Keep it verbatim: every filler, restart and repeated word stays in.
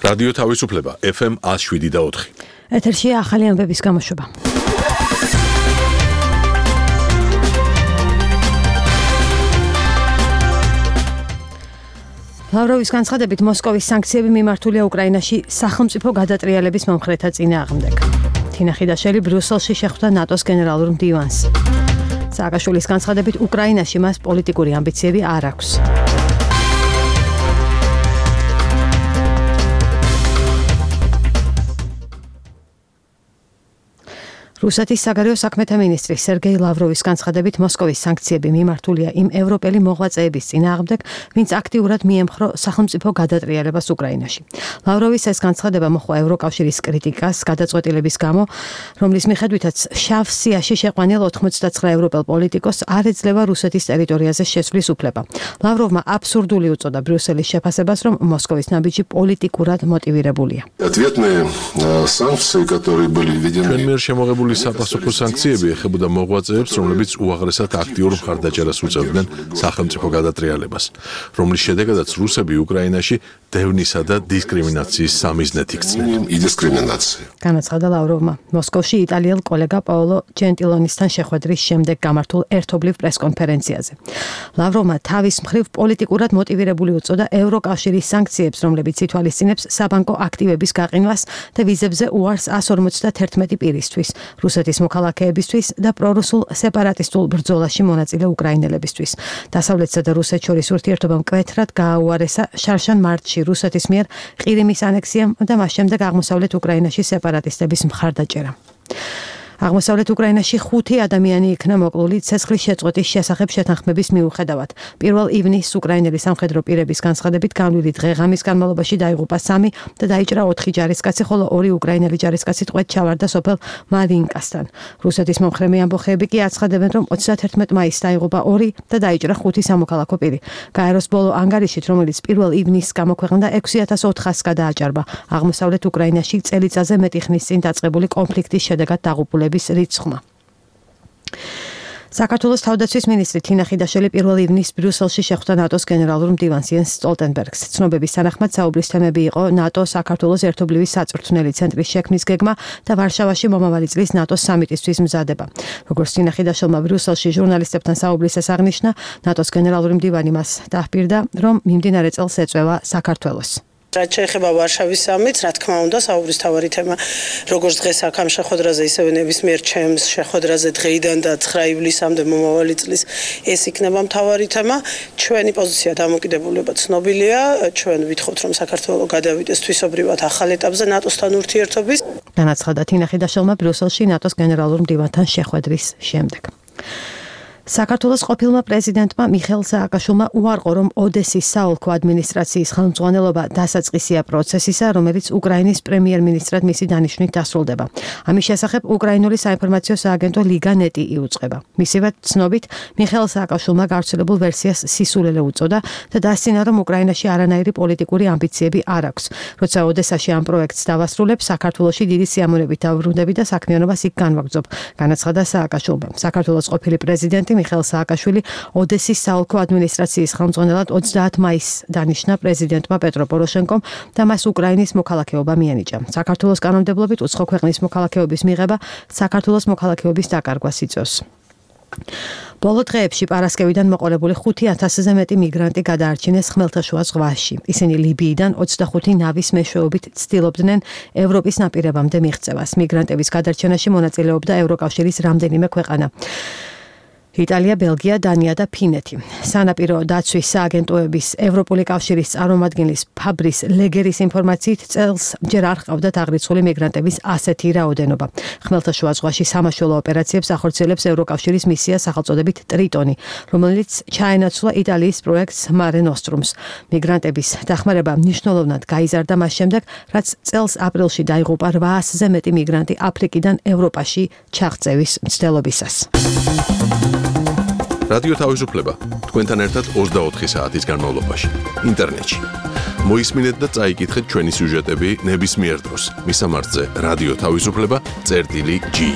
რადიო თავისუფლება ეფ ემ one oh seven და four. ეთერშია ახალი ამბების გამოშვება. ლავროვის განცხადებით მოსკოვის სანქციები მიმართულია უკრაინაში სახელმწიფო გადატრიალების მომხრეთა წინააღმდეგ. თინა ხიდაშელი ბრიუსელში შეხვდა ნატოს გენერალურ მდივანს. სააკაშვილის განცხადებით უკრაინაში მას პოლიტიკური ამბიციები არ აქვს. რუსეთის საგარეო საქმეთა მინისტრი სერგეი ლავროვის განცხადებით მოსკოვის სანქციები მიმართულია იმ ევროპელი მოღვაწეების წინააღმდეგ, ვინც აქტიურად მიემხრო სახელმწიფო გადატრიალებას უკრაინაში. ლავროვის ეს განცხადება მოჰყვა ევროკავშირის კრიტიკას გადაწყვეტილების გამო, რომლის მიხედვითაც შავ სიაში შეყვანილ ოთხმოცდაცხრა ევროპელ პოლიტიკოსს არ ეძლევა რუსეთის ტერიტორიაზე შესვლის უფლება. ლავროვმა აბსურდული უწოდა ბრიუსელის შეფასებას, რომ მოსკოვის ნაბიჯი პოლიტიკურად მოტივირებულია. საპასუხო სანქციები ეხებოდა მოღვაწეებს, რომლებიც უაღრესად აქტიურ მხარდაჭერას უწევდნენ სახელმწიფო გადატრიალებას, რომლის შედეგადაც რუსები უკრაინაში დევნისა და დისკრიმინაციის სამიზნედ იქცნენ. განაცხადა ლავროვმა მოსკოვში იტალიელ კოლეგა პაოლო ჯენტილონისთან შეხვედრის შემდეგ გამართულ ერთობლივ პრესკონფერენციაზე. ლავროვმა თავის მხრივ პოლიტიკურად მოტივირებული უწოდა ევროკავშირის სანქციებს, რომლებიც ითვალისწინებს საბანკო აქტივების გაყინვას და ვიზებზე უარს one hundred forty-one პირისთვის. რუსეთის მოქალაქეებისთვის და პრორუსულ სეპარატისტულ ბრძოლაში მონაწილე უკრაინელებისთვის. დასავლეთსა და რუსეთს შორის ურთიერთობა მკვეთრად გააუარესა შარშან მარტში რუსეთის მიერ ყირიმის ანექსიამ და მას შემდეგ აღმოსავლეთ უკრაინაში სეპარატისტების მხარდაჭერა. აღმოსავლეთ უკრაინაში ხუთი ადამიანი იქნა მოკლული ცეცხლის შეწყვეტის შესახებ შეთანხმების მიუხედავად. პირველ ივნისს უკრაინელი სამხედრო პირების განცხადებით განვლილი დღე-ღამის განმავლობაში დაიღუპა სამი და დაიჭრა ოთხი ჯარისკაცი, ხოლო ორი უკრაინელი ჯარისკაცი ტყვედ ჩავარდა სოფელ მარინკასთან. რუსეთის მომხრე ამბოხეები კი აცხადებენ, რომ თერთმეტ მაისს დაიღუპა ორი და დაიჭრა ხუთი სამოქალაქო პირი. გაეროს ბოლო ანგარიშით, რომელიც პირველ ივნისს გამოქვეყნდა, ექვსი ათას ოთხასს გადააჭარბა აღმოსავლეთ უკრაინაში წელიწადზე მეტი ხნის წინ დაწყებული კონფლიქტის შედეგად დაღუპული რიცხვმა. საქართველოს თავდაცვის მინისტრი თინა ხიდაშელი პირველ ივნისს ბრიუსელში შეხვდა ნატოს გენერალურ მდივანს იენს სტოლტენბერგს. ცნობების თანახმად საუბრის თემები იყო ნატო საქართველოს ერთობლივი საწვრთნელი ცენტრის შექმნის გეგმა და ვარშავაში მომავალი წლის ნატოს სამიტისთვის მზადება. როგორც თინა ხიდაშელმა ბრიუსელში ჟურნალისტებთან საუბრისას აღნიშნა, ნატოს გენერალური მდივანი მას დაჰპირდა, რომ მიმდინარე წელს ეწევა საქართველოს. რაც შეეხება ვარშავის სამიტს, რა თქმა უნდა, საუბრის თავარი თემა, როგორც დღეს აქ ამ შეხვედრაზე, ისევე ნებისმიერ ჩემს შეხვედრაზე დღეიდან და ცხრა ივლისამდე მომავალი წლის ეს იქნება მთავარი თემა. ჩვენი პოზიცია დამოკიდებულება ცნობილია, ჩვენ ვითხოვთ, რომ საქართველოს გადავიდეს თვისობრივად ახალ ეტაპზე ნატოსთან ურთიერთობის. განაცხადა თინა ხიდაშელმა ბრიუსელში ნატოს გენერალურ მდივანთან შეხვედრის შემდეგ. საქართველოს ყოფილმა პრეზიდენტმა მიხეილ სააკაშვილმა უარყო, რომ ოდესის საოლქო ადმინისტრაციის ხელმძღვანელობა დასაწყისია პროცესისა, რომელიც უკრაინის პრემიერ-მინისტრად მისი დანიშვნით დასრულდება. ამის შესახებ უკრაინული საინფორმაციო სააგენტო ლიგა.ნეტი იუწყება. მისივე ცნობით, მიხეილ სააკაშვილმა გავრცელებულ ვერსიას სისულელე უწოდა და დასცინა, რომ უკრაინაში არანაირი პოლიტიკური ამბიციები არ აქვს. როცა ოდესაში ამ პროექტს დავასრულებ, საქართველოში დიდი სიამოვნებით დავბრუნდები და საქმიანობას იქ განვაგრძობ, განაცხადა სააკაშვილმა. საქართველოს ყოფილი პრეზიდენტი მიხეილ სააკაშვილი ოდესის საოლქო ადმინისტრაციის ხელმძღვანელად ოცდაათ მაისს დანიშნა პრეზიდენტმა პეტრო პოროშენკომ და მას უკრაინის მოქალაქეობა მიანიჭა. საქართველოს კანონმდებლობით უცხო ქვეყნის მოქალაქეობის მიღება საქართველოს მოქალაქეობის დაკარგვას იწვევს. ბოლო დღეებში პარასკევიდან მოყოლებული ხუთი ათასზე მეტი მიგრანტი გადაარჩინეს ხმელთაშუა ზღვაში. ისინი ლიბიიდან ოცდახუთი ნავის მეშვეობით ცდილობდნენ ევროპის ნაპირებამდე მიღწევას. მიგრანტების გადარჩენაში მონაწილეობდა ევროკავშირის რამდენიმე ქვეყანა. იტალია, ბელგია, დანია და ფინეთი. სანაპირო დაცვის სააგენტოების ევროპული კავშირის წარმომადგენლის ფაბრის ლეგერის ინფორმაციით წელს ჯერ არ ჰყავდათ აღრიცხული მიგრანტების ასეთი რაოდენობა. ხმელთაშუა ზღვაში სამაშველო ოპერაციებს ახორციელებს ევროკავშირის მისია სახელწოდებით ტრიტონი, რომელიც ჩაენაცვლა იტალიის პროექტს მარე ნოსტრუმს. მიგრანტების დახმარება მნიშვნელოვნად გაიზარდა მას შემდეგ, რაც წელს აპრილში დაიღუპა რვაასზე მეტი მიგრანტი აფრიკიდან ევროპაში ჩაღწევის მცდელობისას. რადიო თავისუფლება თქვენთან ერთად ოცდაოთხი საათის განმავლობაში ინტერნეტში. მოისმინეთ და წაიკითხეთ ჩვენი სიუჟეტები ნებისმიერ დროს. მისამართზე რადიო თავისუფლება წერტილი ჯი.